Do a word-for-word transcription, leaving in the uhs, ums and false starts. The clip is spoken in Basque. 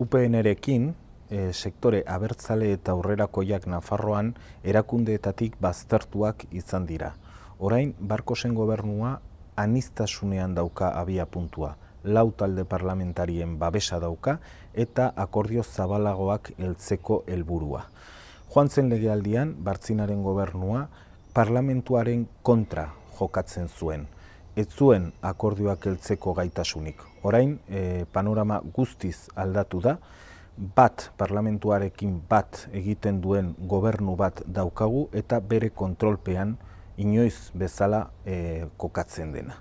U P N-rekin e, sektore abertzale eta aurrerakoiak Nafarroan erakundeetatik baztertuak izan dira. Orain, Barkosen gobernua aniztasunean dauka abia puntua, lau talde parlamentarien babesa dauka eta akordio zabalagoak heltzeko helburua. Joan zen legealdian, Bartzinaren gobernua parlamentuaren kontra jokatzen zuen. Ez zuen akordioak heltzeko gaitasunik. Orain, e, panorama guztiz aldatu da, bat parlamentuarekin bat egiten duen gobernu bat daukagu eta bere kontrolpean inoiz bezala e, kokatzen dena.